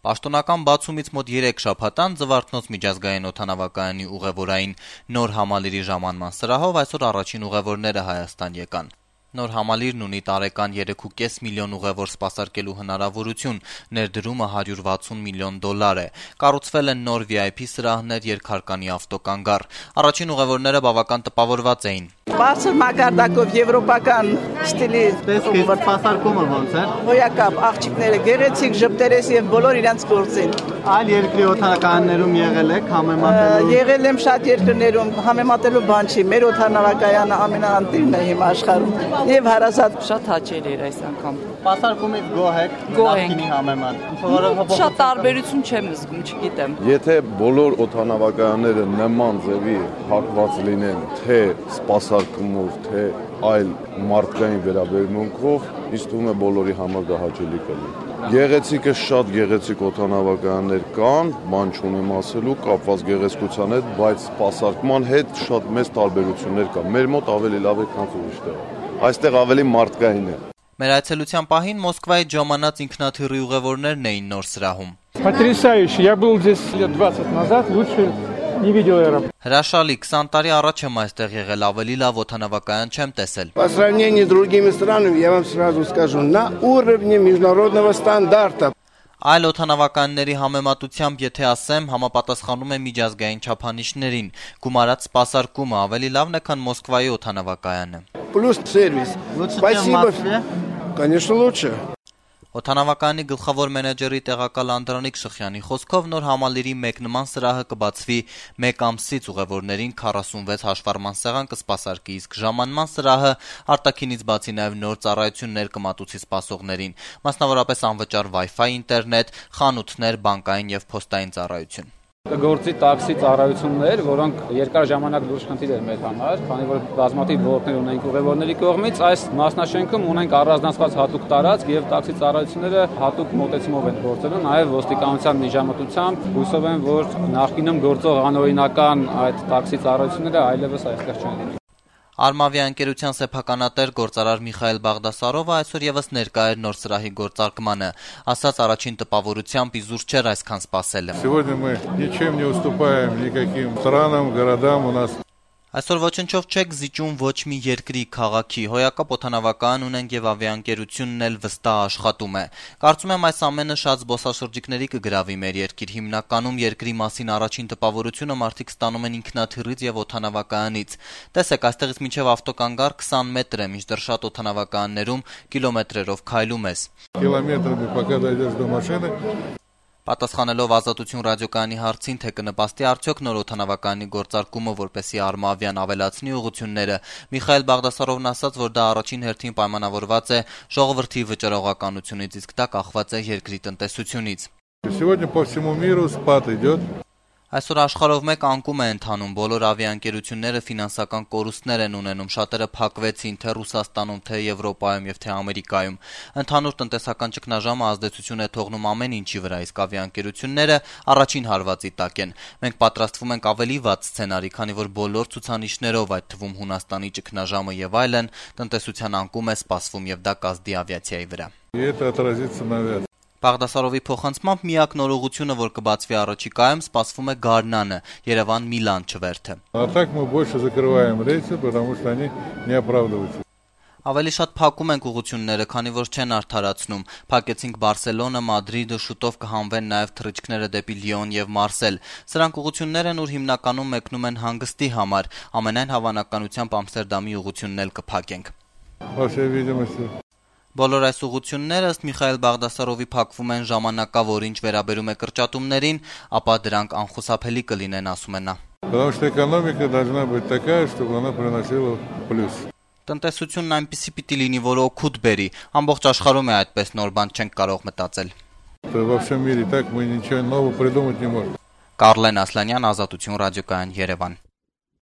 Պաշտոնական բացումից մոտ 3 շաբաթ անց Զվարթնոց միջազգային օդանավակայանի ուղևորային նոր համալիրի ժամանման սրահով այսօր առաջին ուղևորները Հայաստան եկան։ Նոր համալիրն ունի տարեկան 3.5 միլիոն ուղևոր սպասարկելու հնարավորություն, ներդրումը $160 միլիոն է։ Կառուցվել են նոր VIP սրահներ, երկհարկանի ավտոկանգառ։ Առաջին ուղևորները բավական տպավորված էին։ Բարձր մակարդակով եվրոպական ստիլի սպասարկումը ոնց է։ Հոյակապ աղջիկները գեղեցիկ, ժպտերես եւ բոլոր իրենց գործին։ Այլ երկրի օդանավակայաններում եղել եք համեմատելու։ Եղել եմ շատ երկրներում, համեմատելու բան չի։ Մեր օդանավակայանը ամենաանտիրն է հիմա աշխարհում։ Եվ հարազատ շատ հաճելի էր այս անգամ։ Սպասարկումից գոհ եք նախկինի համեմատ։ Շատ տարբերություն չեմ զգում, չգիտեմ։ Եթե բոլոր օդանավակայանները նման ձևի հակված լինեն, թե սպասարկումով, թե այլ մարդկային վերաբերմունքով, ինձ թվում է բոլորի համար դա հաճելի կլինի։ Գեղեցիկը շատ գեղեցիկ օդանավակայաններ կան, բան չունեմ ասելու, կապված գեղեցկության հետ, բայց սպասարկման հետ շատ մեծ տարբերություններ կա։ Մեր մոտ ավելի լավ է, քան ուրիշտեղ։ Այստեղ ավելի մարդկային է։ Մեր այցելության պահին Մոսկվայից ժամանած ինքնաթիռի ուղևորներն էին նոր срахում։ Потрясающе. Я был здесь лет 20 назад, лучше не видел аэропорт. Հրաշալի, 20 տարի առաջ եմ այստեղ եղել, ավելի лав օդանավակայան չեմ տեսել։ По сравнению с другими странами, я вам сразу скажу, на уровне международного стандарта. Այլ օդանավականների համեմատությամբ, եթե ասեմ, համապատասխանում է միջազգային չափանիշներին։ Գումարած սպասարկումը ավելի լավն է, քան Մոսկվայի օդանավակայանը։ Плюс сервис. Спасибо. Конечно, лучше. Օդանավակայանի գլխավոր մենեջերի տեղակալ Անդրանիկ Շխյանի խոսքով նոր համալիրի մեկ նման սրահը կբացվի 1 ամսից ուղևորներին 46 հաշվառման սեղան կսպասարկի, իսկ ժամանման սրահը արտաքինից բացի նաև նոր ծառայություններ կմատուցի սպասողներին, մասնավորապես անվճար Wi-Fi ինտերնետ, խանութներ, բանկային եւ փոստային ծառայություն։ Կգործի տաքսի ծառայություններ, որոնք երկար ժամանակ լուրջ խնդիր էր մեր համար, քանի որ բազմաթիվ ոլորտներ ունենք ուղևորների կողմից, այս մասնաշենքում ունենք առանձնացված հատուկ տարածք եւ տաքսի ծառայությունները հատուկ մոտեցումով են գործելու, նաեւ ոստիկանության միջամտությամբ հույսով եմ, որ նախկինում գործող անօրինական այդ տաքսի ծառայությունները այլևս այստեղ չեն լինի։ Արմավիա ընկերության սեփականատեր գործարար Միխայել Բաղդասարովը այսօր եւս ներկա էր նոր սրահի գործարկմանը, ասաց առաջին տպավորությամբ իզուր չէր այսքան սպասելը։ Сегодня мы ничем не уступаем никаким странам, городам у нас. Այսօր ոչնչով չեք զիջում ոչ մի երկրի քաղաքի, հոյակապ օդանավակայան ունենք եւ ավիաընկերությունն էլ վստահ աշխատում է։ Կարծում եմ այս ամենը շատ զբոսաշրջիկների կգրավի մեր երկիր, հիմնականում երկրի մասին առաջին տպավորությունը մարդիկ ստանում են ինքնաթիռից եւ օդանավակայանից։ Տեսեք, այստեղից մինչեւ ավտոկանգառ 20 մետր է, մինչդեռ շատ օդանավակայաններում կիլոմետրերով քայլում ես։ Կիլոմետրами пока дойдешь до машины. Պատասխանելով Ազատություն ռադիոկայանի հարցին, թե կնպաստի արդյոք նոր օդանավակայանի գործարկումը, որպեսզի Արմավիան ավելացնի ուղղությունները, Միխայել Բաղդասարովն ասաց, որ դա առաջին հերթին պայմանավորված է ժողովրդի վճռողականությունից, իսկ դա կախված է երկրի տնտեսությունից։ Сегодня по всему миру спад идет. Այսօր աշխարհով մեկ անկում է ընթանում, բոլոր ավիաընկերությունները ֆինանսական կորուստներ են ունենում, շատերը փակվեցին թե Ռուսաստանում, թե Եվրոպայում եւ թե Ամերիկայում։ Ընդհանուր տնտեսական ճգնաժամը ազդեցություն է թողնում ամեն ինչի վրա, իսկ ավիաընկերությունները առաջին հարվածի տակ են։ Մենք պատրաստվում ենք ավելի վատ սցենարի, քանի որ բոլոր ցուցանիշներով, այդ թվում Հունաստանի ճգնաժամը եւ այլն, տնտեսության անկում է սպասվում եւ դա կազդի ավիացիայի վրա։ И это отразится на авиации. Բաղդասարովի փոխանցմամբ միակ նոր ուղղությունը, որ կբացվի առաջիկայում, սպասվում է Գարնանը, Երևան-Միլան չվերթը։ А так мы больше закрываем рейсы, потому что они не оправдываются. Ավելի շատ փակում ենք ուղղությունները, քանի որ չեն արդարացնում։ Փակեցինք Բարսելոնա, Մադրիդը, շուտով կհանվեն նաև թռիչքները դեպի Լիոն եւ Մարսել։ Սրանք ուղղություններ են, ուր հիմնականում մեկնում են հանգստի համար։ Ամենայն հավանականությամբ Ամստերդամի ուղղությունն էլ կփակենք։ По всей видимости. Բոլոր այս ուղղությունները ըստ Միխայել Բաղդասարովի փակվում են ժամանակավոր, ինչ վերաբերում է կրճատումներին, ապա դրանք անխուսափելի կլինեն, ասում է նա։ Потому что экономика должна быть такая, чтобы она приносила плюс. Տնտեսությունն այնպիսի պիտի լինի, որ օգուտ բերի։ Ամբողջ աշխարհում է այդպես, նոր բան չենք կարող մտածել։ Во всем мире так мы ничего нового придумать не можем. Կարլեն Ասլանյան, Ազատություն ռադիոկայան, Երևան։